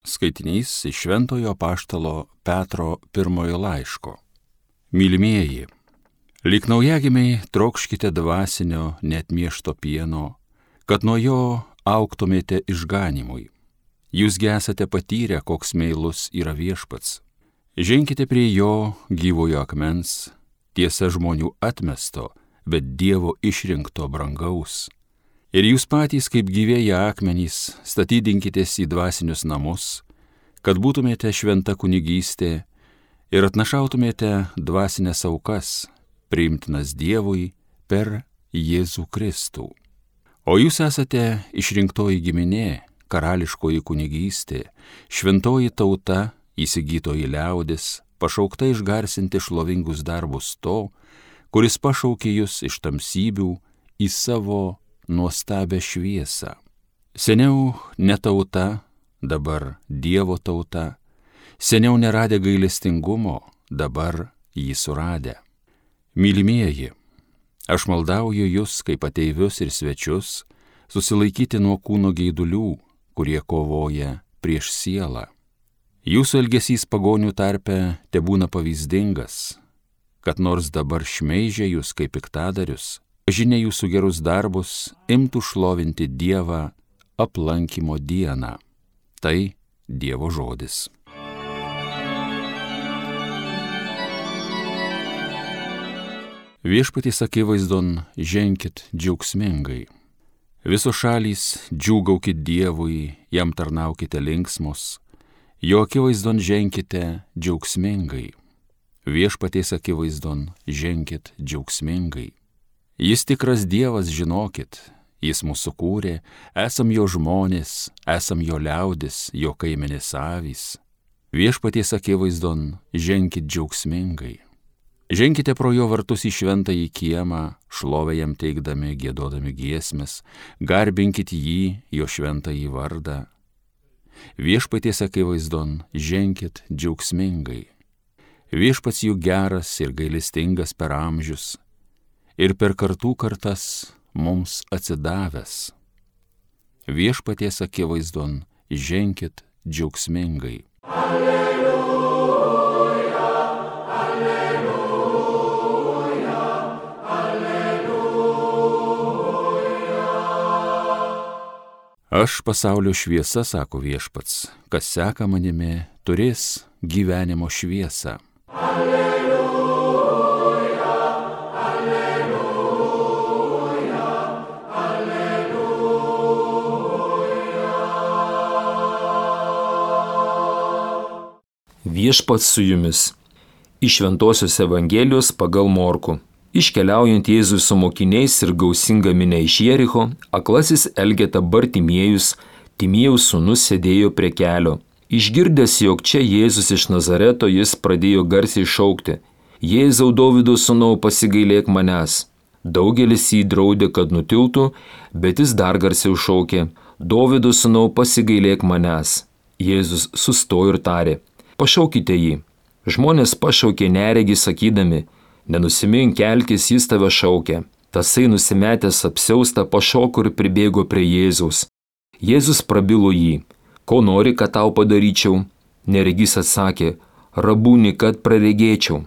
Skaitinys iš Šventojo Apaštalo Petro pirmojo laiško. Mylimieji, lyg naujagimiai trokškite dvasinio neatmiešto pieno, kad nuo jo augtumėte išganimui. Jūsgi esate patyrę, koks meilus yra Viešpats. Ženkite prie jo gyvojo akmens, tiesa žmonių atmesto, bet Dievo išrinkto brangaus. Ir jūs patys, kaip gyvieji akmenys, statydinkitės į dvasinius namus, kad būtumėte šventa kunigystė ir atnašautumėte dvasinės aukas, priimtinas Dievui per Jėzų Kristų. O jūs esate išrinktoji giminė, karališkoji kunigystė, šventoji tauta, įsigytoji liaudis, pašaukta išgarsinti šlovingus darbus to, kuris pašaukė jūs iš tamsybių į savo nuostabią šviesą. Seniau ne tauta, dabar Dievo tauta, seniau neradę gailestingumo, dabar jį suradę. Mylimieji, aš maldauju jūs kaip ateivius ir svečius, susilaikyti nuo kūno geidulių, kurie kovoja prieš sielą. Jūsų elgesys pagonių tarpe tebūna pavyzdingas, kad nors dabar šmeižia jūs kaip piktadarius, žinia jūsų gerus darbus imtų šlovinti Dievą aplankymo dieną. Tai Dievo žodis. Viešpaties akivaizdon ženkit džiaugsmingai. Visos šalys džiūgaukit Dievui, jam tarnaukite linksmos, jo akivaizdon ženkite džiaugsmingai. Viešpaties akivaizdon ženkit džiaugsmingai. Jis tikras Dievas, žinokit, jis mūsų kūrė, esam jo žmonės, esam jo liaudis, jo kaimenės avys. Viešpaties akivaizdon ženkit džiaugsmingai. Ženkite pro jo vartus į šventąjį kiemą, šlovę jam teikdami, giedodami giesmes, garbinkit jį, jo šventąjį vardą. Viešpaties akivaizdon ženkit džiaugsmingai. Viešpats jų geras ir gailestingas per amžius, ir per kartų kartas mums atsidavęs. Viešpaties akivaizdon ženkit džiaugsmingai. Alleluja, alleluja, alleluja. Aš pasaulio šviesa, sako Viešpats, kas seka manimi, turės gyvenimo šviesą. Viešpats su jumis. Iš Šventosios Evangelijos pagal Morkų. Iškeliaujant Jėzui su mokiniais ir gausinga minia iš Jericho, aklasis Elgeta Bartimiejus, Timiejaus sūnus, sėdėjo prie kelio. Išgirdęs, jog čia Jėzus iš Nazareto, jis pradėjo garsiai šaukti: Jėzau, Dovydo sūnau, pasigailėk manęs. Daugelis jį draudė, kad nutiltų, bet jis dar garsiau šaukė: Dovydo sūnau, pasigailėk manęs. Jėzus sustojo ir tarė: Pašaukite jį. Žmonės pašaukė neregį sakydami: Nenusimink, kelkis, jis tave šaukia. Tasai nusimetęs apsiaustą pašoko ir pribėgo prie Jėzaus. Jėzus prabilo jį: Ko nori, kad tau padaryčiau? Neregys atsakė: Rabūni, kad praregėčiau.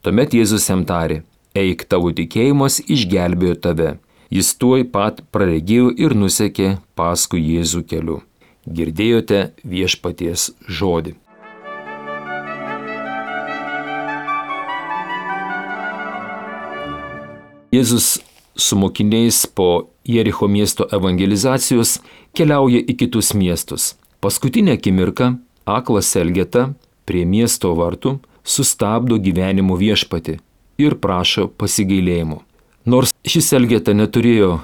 Tuomet Jėzus jam tarė: Eik, tavo tikėjimas išgelbėjo tave. Jis tuoj pat praregėjo ir nusekė paskui Jėzų keliu. Girdėjote Viešpaties žodį. Jėzus su mokiniais po Jericho miesto evangelizacijos keliauja į kitus miestus. Paskutinę akimirką aklas Elgeta prie miesto vartų sustabdo gyvenimo Viešpatį ir prašo pasigailėjimo. Nors šis Elgeta neturėjo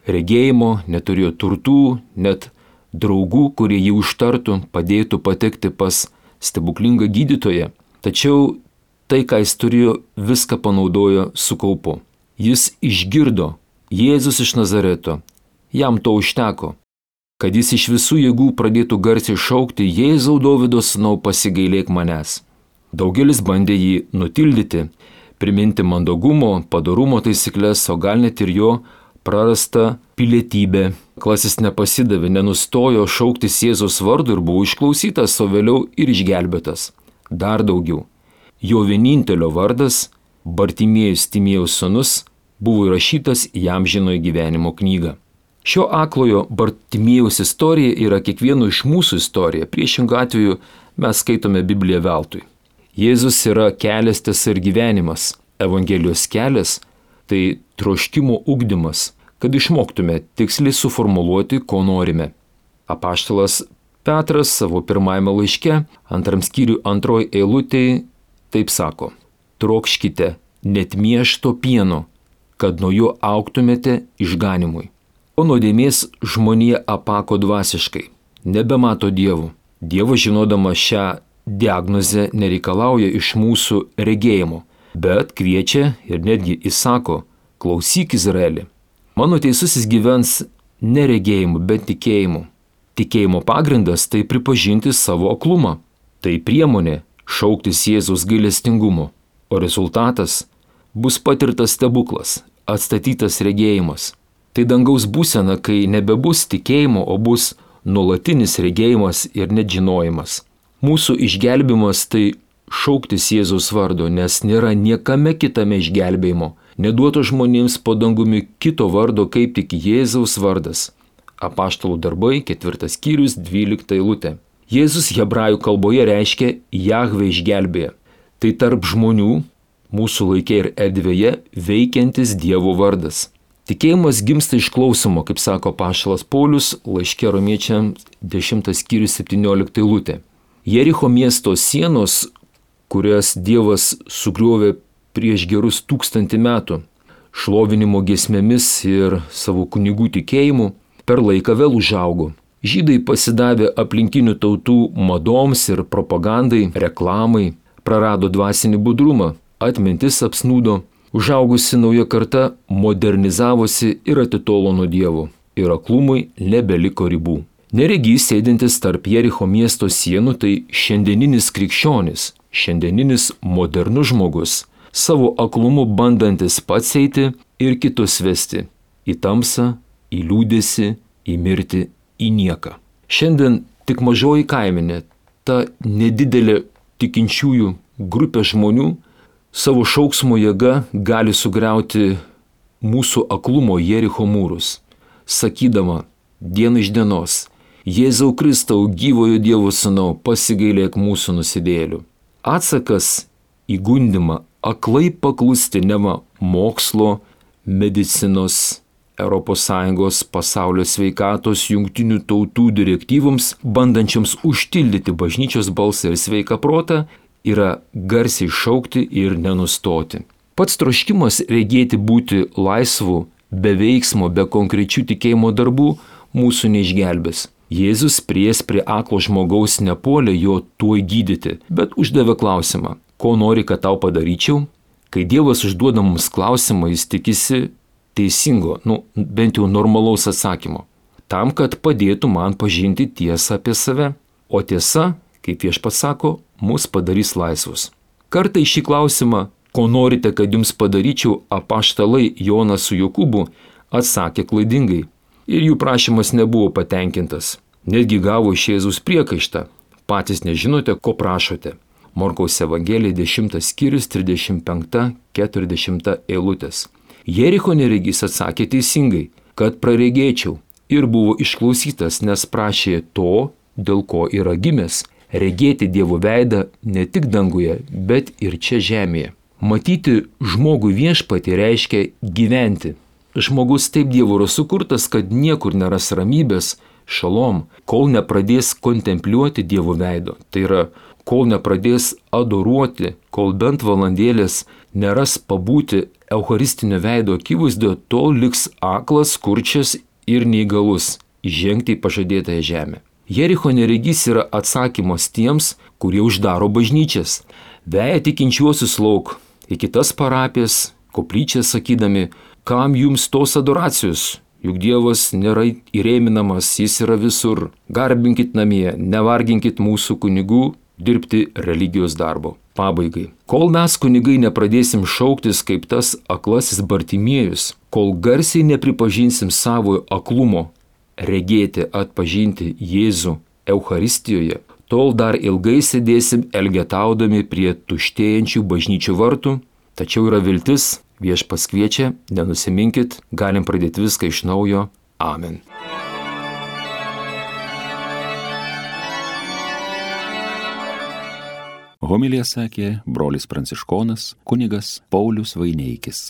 regėjimo, neturėjo turtų, net draugų, kurie jį užtartų, padėtų patekti pas stebuklingą gydytoją, tačiau tai, ką jis turėjo, viską panaudojo su kaupu. Jis išgirdo: Jėzus iš Nazareto. Jam to užteko, kad jis iš visų jėgų pradėtų garsiai šaukti: Jėzau, Dovydo sūnau, pasigailėk manęs. Daugelis bandė jį nutildyti, priminti mandagumo, padorumo taisyklės, o gal net ir jo prarastą pilietybę. Aklasis nepasidavė, nenustojo šauktis Jėzaus vardu ir buvo išklausytas, o vėliau ir išgelbėtas. Dar daugiau. Jo vienintelio vardas, Bartimiejus Timiejaus sūnus, buvo įrašytas į amžinojo gyvenimo knygą. Šio aklojo Bartimiejaus istorija yra kiekvieno iš mūsų istorija. Priešingų atveju mes skaitome Bibliją veltui. Jėzus yra kelias, tiesa ir gyvenimas. Evangelijos kelias – tai troškimo ugdymas, kad išmoktume tiksliai suformuluoti, ko norime. Apaštalas Petras savo pirmajame laiške, 2 skyriui 2 eilutėje taip sako: trokškite net miešto pieno, kad nuo jo augtumėte išganimui. O nuodėmės žmonija apako dvasiškai, nebemato Dievo. Dievas, žinodama šią diagnozę, nereikalauja iš mūsų regėjimo, bet kviečia ir netgi įsako: klausyk Izraeli, mano teisusis gyvens ne regėjimu, bet tikėjimu. Tikėjimo pagrindas tai pripažinti savo aklumą. Tai priemonė šauktis Jėzaus gailestingumo, o rezultatas bus patirtas stebuklas, atstatytas regėjimas. Tai dangaus būsena, kai nebebus tikėjimo, o bus nuolatinis regėjimas ir net žinojimas. Mūsų išgelbimas tai šauktis Jėzaus vardo, nes nėra niekame kitame išgelbėjimo. Neduoto žmonėms po dangumi kito vardo, kaip tik Jėzaus vardas. Apaštalų darbai, 4 skyrius, 12 eilutė. Jėzus hebrajų kalboje reiškia Jahve išgelbėja. Tai tarp žmonių, mūsų laike ir erdvėje veikiantis Dievo vardas. Tikėjimas gimsta iš klausimo, kaip sako apaštalas Paulius laiške Romiečiams 10 skyrius 17 eilutė. Jericho miesto sienos, kurias Dievas sugriovė prieš gerus 1000 metų, šlovinimo giesmėmis ir savo kunigų tikėjimu, per laiką vėl užaugo. Žydai pasidavė aplinkinių tautų madoms ir propagandai, reklamai, prarado dvasinį budrumą, atmintis apsnūdo, užaugusi nauja karta modernizavosi ir atitolo nuo Dievo, ir aklumui nebeliko ribų. Neregys sėdintis tarp Jericho miesto sienų tai šiandieninis krikščionis, šiandieninis modernus žmogus, savo aklumu bandantis pats eiti ir kitus vesti į tamsą, į liūdesį, į mirtį, į nieką. Šiandien tik mažoji kaimenė, ta nedidelė tikinčiųjų grupė žmonių, savo šauksmo jėga gali sugriauti mūsų aklumo Jericho mūrus, sakydama diena iš dienos: Jėzau Kristau, gyvojo Dievo sūnau, pasigailėk mūsų nusidėjėlių. Atsakas į gundymą aklai paklusti neva mokslo, medicinos, ES, pasaulio sveikatos, jungtinių tautų direktyvoms, bandančiams užtildyti bažnyčios balsą ir sveiką protą, yra garsiai šaukti ir nenustoti. Pats troškimas regėti būti laisvu, be veiksmo, be konkrečių tikėjimo darbų mūsų neišgelbės. Jėzus prie aklo žmogaus nepuolė jo tuoj gydyti, bet uždavė klausimą: ko nori, kad tau padaryčiau? Kai Dievas užduoda mums klausimą, jis tikisi teisingo, bent jau normalaus atsakymo. Tam, kad padėtų man pažinti tiesą apie save. O tiesa, kaip Viešpats sako, mus padarys laisvus. Kartą į šį klausimą, ko norite, kad jums padaryčiau, apaštalai Jonas su Jokūbu atsakė klaidingai. Ir jų prašymas nebuvo patenkintas. Netgi gavo iš Jėzaus priekaištą: patys nežinote, ko prašote. Morkaus Evangelija 10 skyrius 35-40 eilutės. Jericho neregys atsakė teisingai, kad praregėčiau, ir buvo išklausytas, nes prašė to, dėl ko yra gimęs – regėti Dievo veidą ne tik danguje, bet ir čia žemėje. Matyti žmogų viešpatį reiškia gyventi. Žmogus taip Dievo yra sukurtas, kad niekur neras ramybės, šalom, kol nepradės kontempliuoti Dievo veido. Tai yra, kol nepradės adoruoti, kol bent valandėlės neras pabūti eucharistinio veido akivaizdoje, tol liks aklas, kurčias ir neįgalus įžengti į pažadėtąją žemę. Jericho neregys yra atsakymas tiems, kurie uždaro bažnyčias, veja tikinčiuosius lauk į kitas parapijas, koplyčias sakydami: kam jums tos adoracijos, juk Dievas nėra įrėminamas, jis yra visur. Garbinkit namie, nevarginkit mūsų kunigų, dirbti religijos darbo. Pabaigai. Kol mes kunigai nepradėsim šauktis kaip tas aklasis Bartimiejus, kol garsiai nepripažinsim savo aklumo, regėti, atpažinti Jėzų Eucharistijoje, tol dar ilgai sėdėsim elgetaudami prie tuštėjančių bažnyčių vartų, tačiau yra viltis, Viešpats kviečia, nenusiminkit, galim pradėti viską iš naujo. Amen. Homiliją sakė brolis pranciškonas kunigas Paulius Vaineikis.